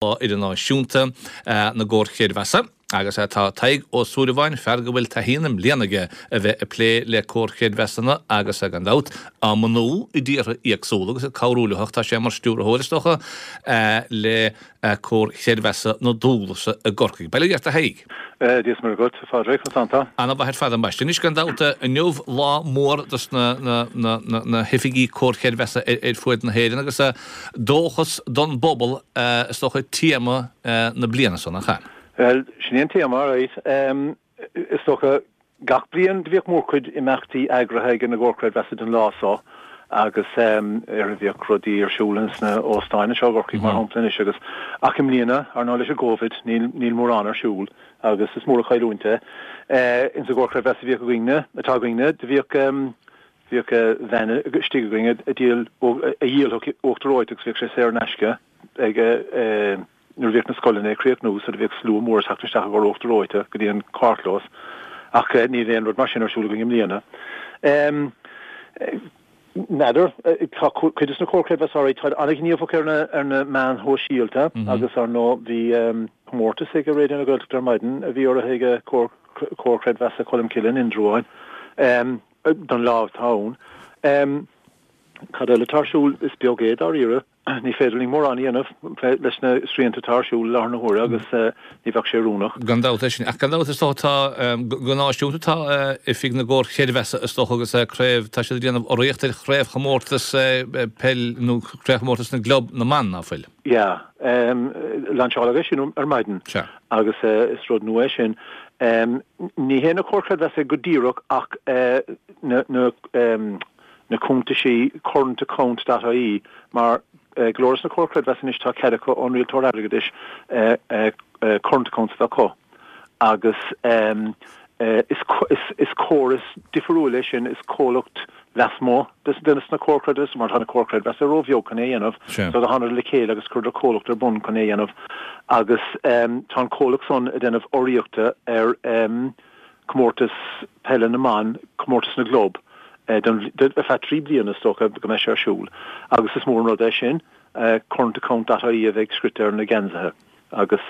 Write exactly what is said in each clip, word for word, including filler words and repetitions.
Lá Idirnáisiúnta na gComhar Creidmheasa agus tá Tadhg Ó Súilleabháin, fear go bhfuil taithí na mblianta aige a bheith ag plé le comhar creidmheasanna agus gan dabht á mbunú i dtíortha éagsúla agus ag cabhrú leo ach tá sé mar stiúrthóir is dócha le Comhar Creidmheasa na Dúghlasa i gCorcaigh. Bail ó Dhia ort a Thaidhg. Dia is Muire dhuit, a Phádraig, conas tánn tú? Ana-mhaith ar fad ambaiste. Anois gan dabht inniu lá mór dos na na hoifigí comhar creidmheasa ar fuaid na hÉireann agus dóchas don bpobal is dócha téama na bliana so, nach ea? Bhuel, sin é an téama, right. Is dócha gach bliain do bhíodh mórchuid imeachtaí eagraithe ag na gcomhar creidmheasa don lá so agus ar bhíodh rudaí ar siúl sna hóstáin anseo i gCorcaigh mar shampla anois agus ach i mbliana ar ndóigh leis an gCovid níl níl mórán ar siúl agus is mór an chailliúint é. Insa gcomhar creidmheasa a bhíodh againne, atá againne, do bhíodh bhíodh veain istigh againn a dhíol a dhíolfadh uachtar reoite agus bhíodh sé saor in aisce ag nuair a bhíodh na scoileanna ag críochnú so do bhíodh slua mór ag teacht isteach i gcomhair uachtar reoite go dtí an carrchlós ach níl aon rud mar sin ar siúl againn i mbliana. N'fheadar, tá cuid de na comhair creidmheasa táid an-ghníomhach ar na ar na meáin shóisialta agus ar ndóigh bhí comórtas ag Raidió na Gaeltachta ar maidin a bhí urraithe ag Comhar Comhar Creidmheasa Cholmcille in Indreabhán don lá atá ann. Cad eile atá ar siúl? Is beag é dáiríre. Ní féidir linn mórán a dhéanamh leis na srianta atá ar siúl i láthair na huaire agus ní bheadh sé oiriúnach. Gan dabht é sin. Ach gan dabht is dócha tá, go náisiúnta tá Oifig na gComhar Creidmheasa is dócha agus craobh, tá siad ag déanamh urraíocht ar chraobhchomórtas peil nó craobhchomórtas na gclub na mban, ná fuil? Yeah. Lainseáladh é sin ar maidin agus is rud nua é sin. Ní hé na Comhair Creidmheasa go díreach ach na na na cuntaisí current account dot ie mar go leor de na comhair creidmheasa anois tá cead acu ón rialtóir airgeadais current accounts a bheith acu agus is córas difriúil é sin, is comhlacht lasmuigh de na comhair creidmheasa mar tá na comhair creidmheasa róbheag chun é a dhéanamh so do thánadar le chéile agus chuireadar comhlacht ar bun chun é a dhéanamh agus tá an comhlacht san ag déanamh urraíochta ar comórtas peile na mban, comórtas na gclub, ar feadh trí bliana is dócha go mbeidh sé ar siúl agus is mór an rud é sin, current account dot ie a bheidh scrite ar na geansaithe agus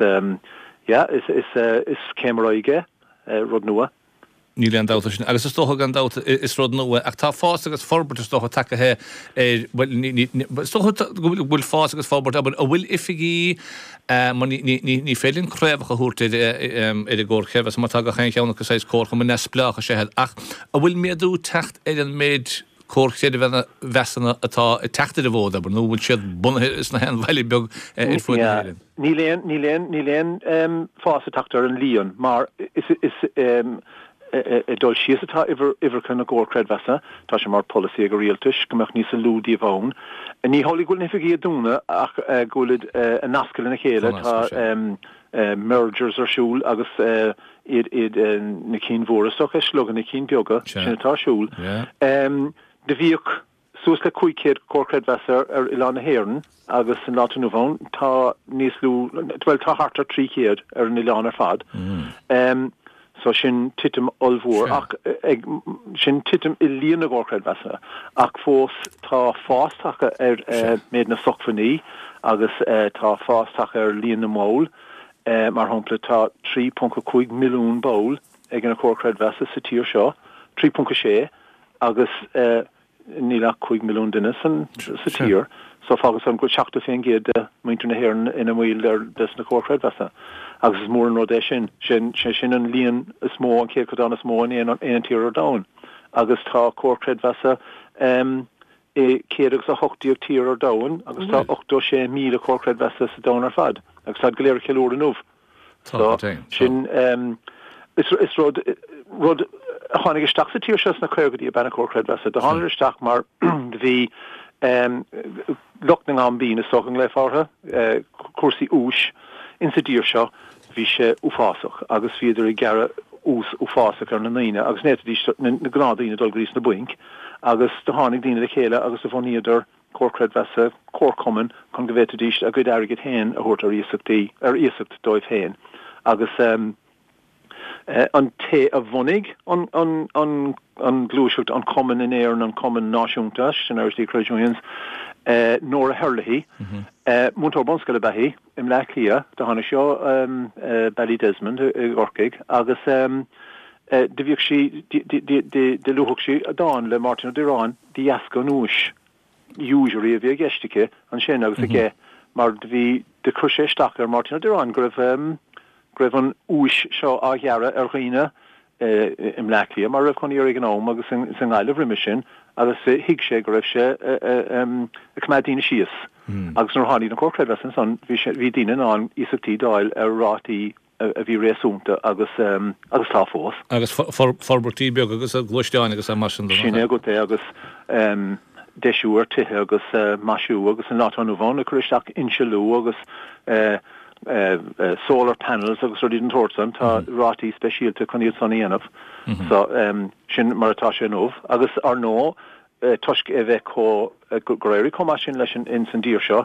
yeah is is céim ar aghaidh é, rud nua. Níl aon dabht faoi sin. Agus is dócha gan dabht is rud nua ach tá fás agus forbairt is dócha tagtha ar, bhuel ní, is dócha go bhfuil fás agus forbairt, abair, an bhfuil oifigí mar ní, ní, ní, ní féidir linn craobhacha a thabhairt ar, ar an gcomhar creidmheasa mar tá gach aon cheann acu saghas comharchumann neamhspleách is ea iad ach an bhfuil méadú ag teacht ar an méid comhar creidmheasanna atá ag teacht ar an bhfód, abair, nó an bhfuil siad bunaithe sna haon bhaile beag ar fuaid na hÉireann? Níl aon, níl aon, níl aon fás ag teacht ar an líon mar is, is, ag dul síos atá uimhreacha na gcomhar creidmheasa. Tá sé mar pholasaí ag an rialtas go mbeadh níos lú díobh ann. Ní hamhlaidh go bhfuil na hoifigí ag dúnadh ach go bhfuilid ag nascadh lena chéile. Tá mergers ar siúl agus iad iad na cinn mhóra is dócha ag slogadh na cinn beaga. Sin atá ar siúl. Do bhíodh suas le cúig chéad comhar creidmheasa ar oileán na hÉireann agus san lá atá inniu ann tá níos lú, bhuel tá thart ar trí chéad ar an oileán ar fad. So sin titim ollmhór ach ag, sin titim i líon na gcomhar creidmheasa ach fós tá fás tagtha ar méid na socmhainní agus tá fás tagtha ar líon na mball. Mar shampla tá trí ponc a cúig milliún ball ag na comhair creidmheasa sa tír seo, trí ponc a sé, agus níl ach cúig milliún duine sa tír, so fágann san go bhfuil seachtó faoin gcéad de mhuintir na hÉireann ina mbaill des na comhair chreidmheasa. Agus is mór an rud é sin. Sin, sé sin an líon is mó, an céatadán is mó in aon aon tír ar domhan. Agus tá comhair chreidmheasa i céad agus a hocht déag tír ar domhan agus tá ochtó sé míle comhar creidmheasa sa domhan ar fad agus táid go léir ag ceiliúradh inniu. So, sin, is rud, rud a tháinig isteach sa tír seo sna caogaidí ab ea na comhair chreidmheasa. Do thánadar isteach mar do bhí lucht na ngaimbín, is dócha go nglaofá orthu, cúrsaí úis insa dtír seo, bhí sé uafásach agus bhíodar ag gearradh ús uafásach ar na ndaoine agus ní fhéadfaidís na gnáthdhaoine dul go dtí sna bainc agus do tháinig daoine le chéile agus do bhunaíodar comhar creidmheasa, comharchumann chun go bhféadfaidís a gcuid airgid féin a thabhairt ar iasachtaí, ar iasacht dóibh féin agus an té a bhunaigh an, an, an, an ghluaiseacht, an cumann in Éirinn, an cumann náisiúnta, sin Irish League Credit Unions, Nora Herlihy, múinteoir bunscoile ab ea í i mBleá Cliath, do tháinig sí ó Ballydesmond i gCorcaigh agus do bhíodh sí, do luafadh sí dán le Máirtín Ó Direáin de dheasca an úis, usury a bhí i gceist aici ansin agus aige mar do bhí, do chuir sé isteach ar Mháirtín Ó Direáin go raibh, go raibh an úis seo á ghearradh ar dhaoine i mBleá Cliath mar a raibh cónaí air ag an am agus sa nGaillimh roimhe sin agus thuig sé go raibh sé ag coimeád daoine síos agus nuair a tháinig na Comhair Creidmheasa ansan bhí sé bhí daoine in ann iasachtaí d'fháil ar rátaí a bhí réasúnta agus agus tá fós. Agus forbairtí beaga agus gluaisteáin agus mar sin de. Sin é agat é agus deisiú ar tithe agus maisiú agus an lá atá inniu ann ag cur isteach insealú agus solar panels agus rudaí den tsórt san, tá rátaí speisialta chun iad san a dhéanamh. So, sin mar atá sé inniu. Agus ar ndóigh, toisc é bheith chomh, gur éirigh chomh maith sin leis ins an dtír seo,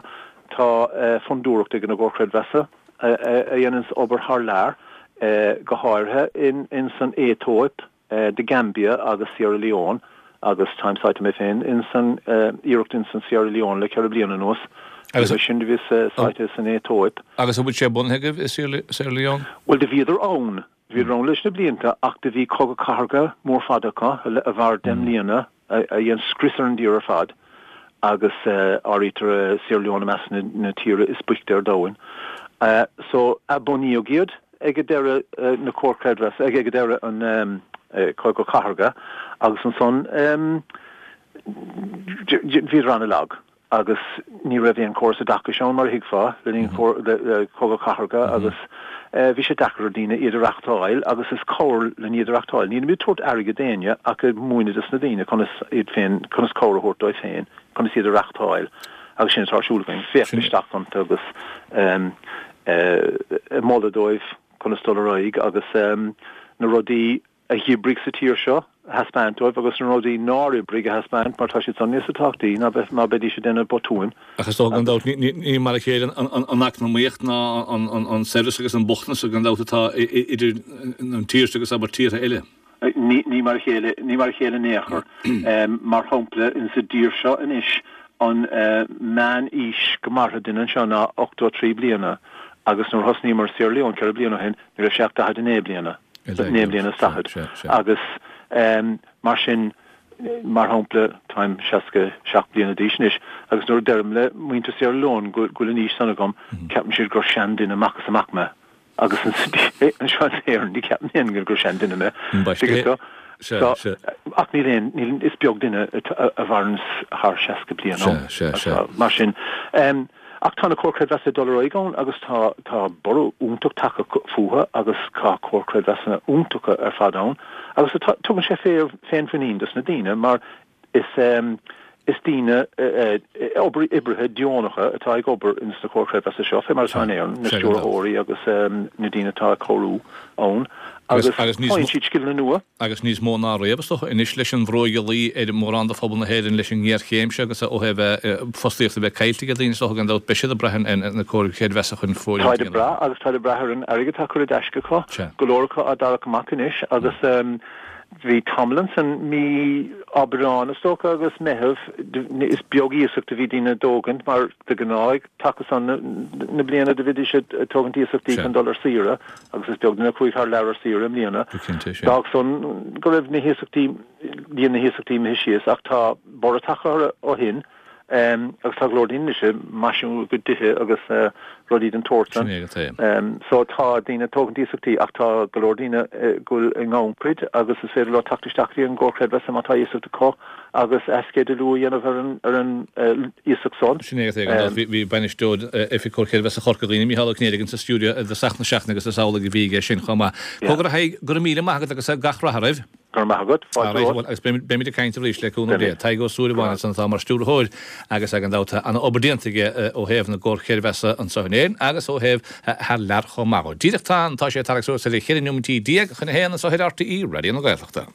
tá fondúireacht ag an gComhar Creidmheasa a dhéananns obair thar lear, go háirithe ins an Aetóip, The Gambia agus Sierra Leone agus táim sáite mé féin ins an iarracht ins an Sierra Leone le ceithre bliana anuas. Agus sin do bhíos sáite san Aetóip. Agus an bhfuil sé bunaithe agaibh i Sierra Leone? Bhuel do bhíodar ann, do bhíodar ann leis na blianta ach do bhí cogadh cathartha mór fada acu a mhair deich mbliana a dhein scrios ar an dtír ar fad agus áirítear Sierra Leone i measc na tíortha is boichte ar domhan. So athbunaíodh iad ag deireadh na Comhar Creidmheasa, ag deireadh an Cogadh Cathartha agus ansan bhíodar an-lag agus ní raibh aon chóras oideachais ann mar a thuigfeá le linn Cogadh Cathartha agus bhí sé deacair ar daoine iad a reachtáil agus is cabhair linn iad a reachtáil. Nílimid ag tabhairt airgead d'éinne ach ag múineadh dos na daoine conas iad féin, conas cabhair a thabhairt dóibh féin, conas iad a reachtáil agus sin atá ar siúl againn, féachaint isteach iontu agus ag moladh dóibh conas dul ar aghaidh agus na rudaí a dh'oibrigh sa tír seo a thaispeáint dóibh agus na rudaí nár oibrigh a thaispeáint mar tá siad san níosa tábhachtaí ná bheith ná beidís ag déanamh botúin. Ach is dócha gan dabht ní mar a chéile an eacnamaíocht ná an saibhreas agus an bochtanas gan dabht atá idir an tír seo agus abair tíortha eile. Ní mar a chéile, ní mar a chéile in aon chor. Mar shampla, insa dtír seo anois, an meán-aois go mairfidh duine anseo ná ochtó a trí bliana agus nuair a thosnaíomar i Sierra Leone ceithre bliana ó shin, ní raibh sé ach daichead a naoi bliana, naoi mbliana is daichead. Agus mar sin, mar shampla, táim seasca seacht bliana d'aois anois agus nuair a deirim le muintir Sierra Leone go bhfuil an aois san agam, ceapann siad gur seanduine amach is amach mé. Agus anseo in Éirinn, ní cheapann éinne gur seanduine mé. Tuigeann tú? So, ach níl aon, níl, is beag duine a mhaireanns thar seasca bliain ann. Mar sin, ach tá na Comhair Creidmheasa ag dul ar aghaidh ann agus tá, tá borradh iontach tagtha fúthu agus tá Comhair Creidmheasanna iontacha ar fad ann agus tá, tugann sé féinmhuinín dos na daoine mar Is is daoine oibrithe deonacha atá ag obair ins na Comhair Creidmheasa seo, fé mar atá in Éirinn, na stiúrthóirí agus na daoine atá ag cabhrú ann, agus faigheann siad scileanna nua. Agus níos mó ná riamh, is dócha, anois leis an bhrú ag luí ar mhórán de phobal na hÉireann leis an ngéarchéim seo agus ó thaobh fostaíocht a bheith caillte ag daoine, is dócha, gan dabht, beidh siad ag brath ar na Comhair Chreidmheasa chun fóirithint a dhéanamh. Táid ag brath agus táid ag brath ar an airgead atá curtha i dtaisce acu, go leor acu á dtarrac amach anois agus Bhí tamall ansan, mí Aibreán is dócha agus Meitheamh, is beag iasacht a bhí daoine ag tógaint mar de ghnáth ag taca san na bliana do bhídís ag tógaint iasachtaí chun dul ar saoire agus is beag duine a chuaigh thar lear ar saoire i mbliana. D'fhág san go raibh na hiasachtaí, líon na hiasachtaí imithe síos ach tá borradh tagtha orthu ó shin. Agus tá go leor daoine anois ag maisiú a gcuid tithe agus rudaí den tsórt san. So tá daoine ag tógaint iasachtaí ach tá go leor daoine go bhfuil i ngannchuid agus is féidir leo teacht isteach go dtí an gComhar Creidmheasa má tá iasacht acu agus athsceidealú a dhéanamh ar an ar an iasacht san. Sin é é. Bhí bainisteoir Oifig Comhar Creidmheasa Chorca Dhuibhne, Mícheál Ó Cinnéide, sa stiúideo i dtosach na seachtaine agus is amhlaidh a bhí aige sin chomh maith. Cogar a Thaidhg, go raibh míle maith agat agus gach rath oraibh. Go raibh maith agat. Fáilte romhat. Agus beimid ag caint arís le cúnamh Dé. Tadhg Ó Súilleabháin ansan atá mar stiúrthóir agus gan dabht tá an-obair déanta aige ó thaobh na gcomhar creidmheasa anseo in Éirinn agus ó thaobh thar lear chomh maith. Díreach tá tá sé ag tarraingt suas ar cheithre neomaintí déag chun a haon anseo ar RTÉ Raidió na Gaeltachta.